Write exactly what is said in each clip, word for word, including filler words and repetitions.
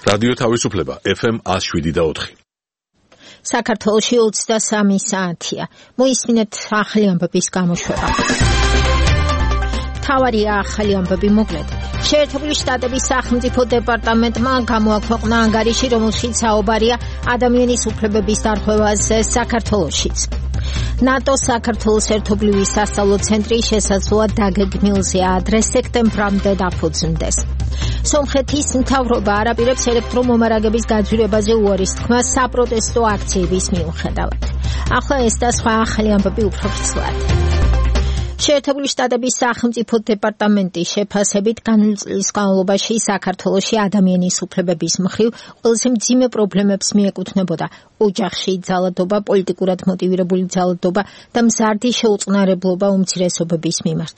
რადიო თავისუფლება ეფ ემ one oh seven და four. საქართველოში ოცდასამი საათია. მოისმინეთ ახალი ამბების გამოშვება. მთავარი ახალი ამბები მოკლედ. შეერთებული შტატების სახელმწიფო დეპარტამენტმა გამოაქვეყნა ანგარიში, რომელშიც საუბარია ადამიანის უფლებების დარღვევაზე საქართველოშიც. ნატო საქართველოს ერთობლივი სასწავლო ცენტრი შესაძლოა დაგეგმილზე ადრე სექტემბრამდე დაფუძნდეს. სომხეთის მთავრობა არაპირებს ელექტრომომარაგების გაძვირებაზე უარის თქმას საპროტესტო აქციების მიუხედავად. ახლა ეს და სხვა ახალი ამბები უფრო ფრთხილად. შეერთებული შტატების სახელმწიფო დეპარტამენტის შეფასებით განვლილი წლის განმავლობაში საქართველოში ადამიანის უფლებების მხრივ ყველაზე მძიმე პრობლემებს მიეკუთვნებოდა ოჯახში ძალადობა, პოლიტიკურად მოტივირებული ძალადობა და მზარდი შეუწყნარებლობა უმცირესობების მიმართ.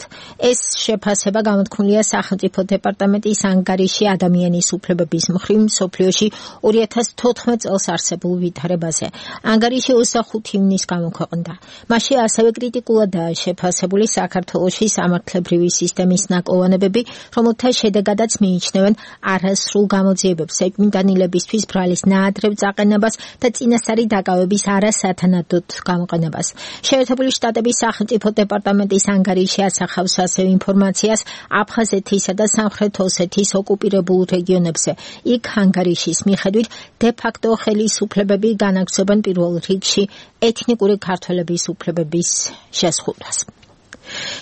ეს შეფასება გამოთქმულია სახელმწიფო დეპარტამენტის ანგარიში ადამიანის უფლებების მხრივ მსოფლიოში ორი ათას თოთხმეტ წელს არსებულ ვითარებაზე. ანგარიში ოცდახუთი ივნისს გამოქვეყნდა. მასში ასევე კრიტიკულადაა შეფასებული საქართველოში სამართლებრივი სისტემის ნაკლოვანებები, რომელთა შედეგადაც მიიჩნევენ არასრულ გამოძიებებს, ეჭვმიტანილებისთვის ბრალის ნაადრევ წაყენებას და წინასწარი დაკავების არასათანადოდ გამოყენებას. შეერთებული შტატების სახელმწიფო დეპარტამენტის ანგარიში ასახავს ასევე ინფორმაციას აფხაზეთისა და სამხრეთ ოსეთის ოკუპირებულ რეგიონებზე. იქ ანგარიშის მიხედვით დე-ფაქტო ხელისუფლებები განაგრძობენ პირველ რიგში ეთნიკური ქართველების უფლებების შეზღუდვას.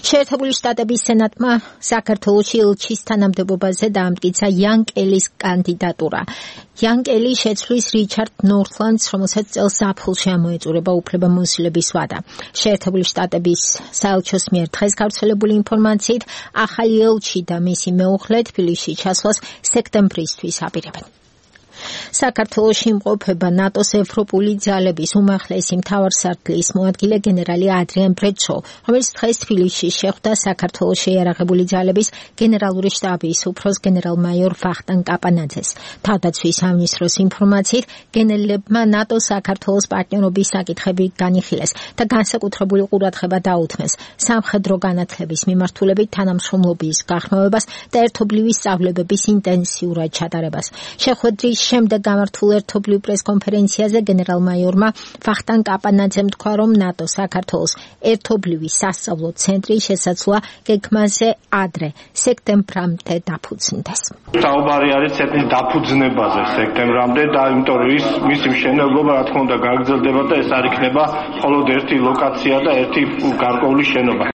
შეერთებული შტატების სენატმა საქართველოში ელჩის თანამდებობაზე დაამტკიცა იან კელის კანდიდატურა. იან კელი შეცვლის რიჩარდ ნორთლანდს, რომელსაც წელს ზაფხულში ამოეწურება უფლებამოსილების ვადა. შეერთებული შტატების საელჩოს მიერ დღეს გავრცელებული ინფორმაციით ახალი ელჩი და მისი მეუღლე თბილისში ჩასვლას სექტემბრისთვის აპირებენ. საქართველოში იმყოფება ნატოს ევროპული ძალების უმაღლესი მთავარსარდლის მოადგილე გენერალი ადრიან ბრეჩო, რომელიც დღეს თბილისში შეხვდა საქართველოს შეიარაღებული ძალების გენერალური შტაბის უფროს გენერალ-მაიორ ვახტანგ კაპანაძეს. თავდაცვის სამინისტროს ინფორმაციით, გენერლებმა ნატოს საქართველოს პარტნიორობის საკითხები განიხილეს და განსაკუთრებული ყურადღება დაუთმეს სამხედრო განათლების მიმართულებით თანამშრომლობის გაღრმავებას და ერთობლივი სწავლებების ინტენსიურად ჩატარებას. შეხვედრის შემდეგ გამართულ ერთობლივ პრესკონფერენციაზე გენერალ-მაიორმა ვახტანგ კაპანაძემ თქვა, რომ ნატო საქართველოს ერთობლივი სასწავლო ცენტრი შესაძლოა გეგმაზე ადრე სექტემბრამდე დაფუძნდეს. საუბარი არის ცენტრის დაფუძნებაზე სექტემბრამდე და იმიტომ რომ ის მისი მშენებლობა რა თქმა უნდა გაგრძელდება და ეს არ იქნება მხოლოდ ერთი ლოკაცია და ერთი გარკვეული შენობა.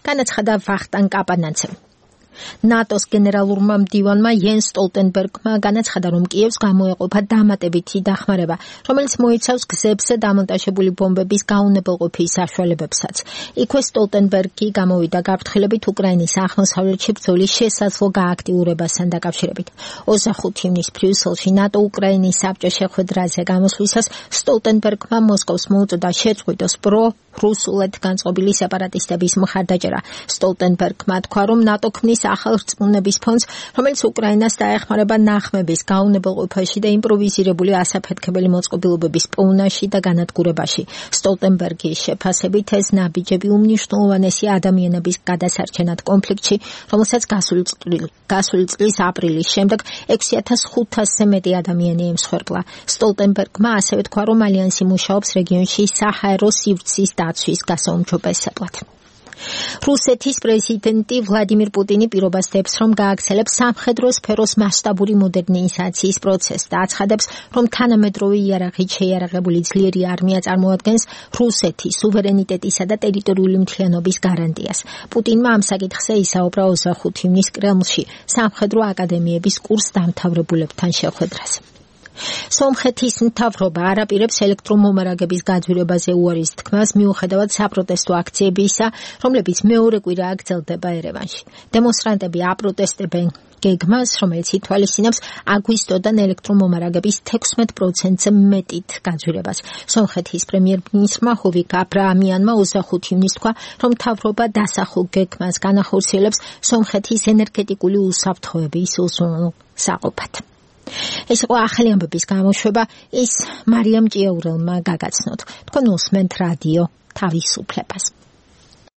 განაცხადა ვახტანგ კაპანაძემ. ნატოს გენერალურმა მდივანმა იენს სტოლტენბერგმა განაცხადა, რომ კიევს გამოეყოფა დამატებითი დახმარება, რომელიც მოიცავს გზებზე დამონტაჟებული ბომბების გაუნებელყოფის საშუალებებსაც. იქვე სტოლტენბერგი გამოვიდა გაფრთხილებით უკრაინის აღმოსავლეთში ბრძოლის შესაძლო გააქტიურებასთან დაკავშირებით. ოცდახუთი ივნისს ბრიუსელში ნატო უკრაინის საბჭოს შეხვედრაზე გამოსვლისას სტოლტენბერგმა მოსკოვს მოუწოდა შეწყვიტოს პრო რუსულად განწყობილი სეპარატისტების მხარდაჭერა. სტოლტენბერგმა თქვა, რომ ნატო ქმნის ახალ რწმუნების ფონდს, რომელიც უკრაინას დაეხმარება ნახმების გაუნებელყოფაში და იმპროვიზირებული ასაფეთქებელი მოწყობილობების პოვნაში და განადგურებაში. სტოლტენბერგის შეფასებით ეს ნაბიჯები უმნიშვნელოვანესი ადამიანების გადასარჩენად კონფლიქტში, რომელსაც გასული წლის აპრილის შემდეგ ექვსი ათას ხუთასზე მეტი ადამიანი ემსხვერპლა. სტოლტენბერგმა ასევე თქვა, რომ ალიანსი მუშაობს რეგიონში საჰაერო სივრცის დაცვის გასაუმჯობესებლად. რუსეთის პრეზიდენტი ვლადიმირ პუტინი პირობას დებს, რომ გააგრძელებს სამხედრო სფეროს მასშტაბური მოდერნიზაციის პროცესს და აცხადებს, რომ თანამედროვე იარაღით შეიარაღებული ძლიერი არმია წარმოადგენს რუსეთის სუვერენიტეტისა და ტერიტორიული მთლიანობის გარანტიას. პუტინმა ამ საკითხზე ისაუბრა ოცდახუთი ივნისს კრემლში სამხედრო აკადემიების კურს დამთავრებულებთან შეხვედრაზე. სომხეთის მთავრობა არაპირებს ელექტრომომარაგების გაძვირებაზე უარის თქმას მიუხედავად საპროტესტო აქციებისა, რომლებიც მეორე კვირა გრძელდება ერევანში. დემონსტრანტები აპროტესტებენ გეგმას, რომელიც ითვალისწინებს აგვისტოდან ელექტრომომარაგების თექვსმეტ პროცენტზე მეტით გაძვირებას. სომხეთის პრემიერ-მინისტრმა ჰოვიკ აბრაამიანმა ოცდახუთი ივნისს თქვა, რომ მთავრობა დასახულ გეგმას განახორციელებს სომხეთის ენერგეტიკული უსაფრთხოების უზრუნველყოფას საყოფად. ეს იყო ახალი ამბების გამოშვება, ის მარიამ ჭიაურელმა გაგაცნოთ. თქვენ უსმენთ რადიო თავისუფლებას.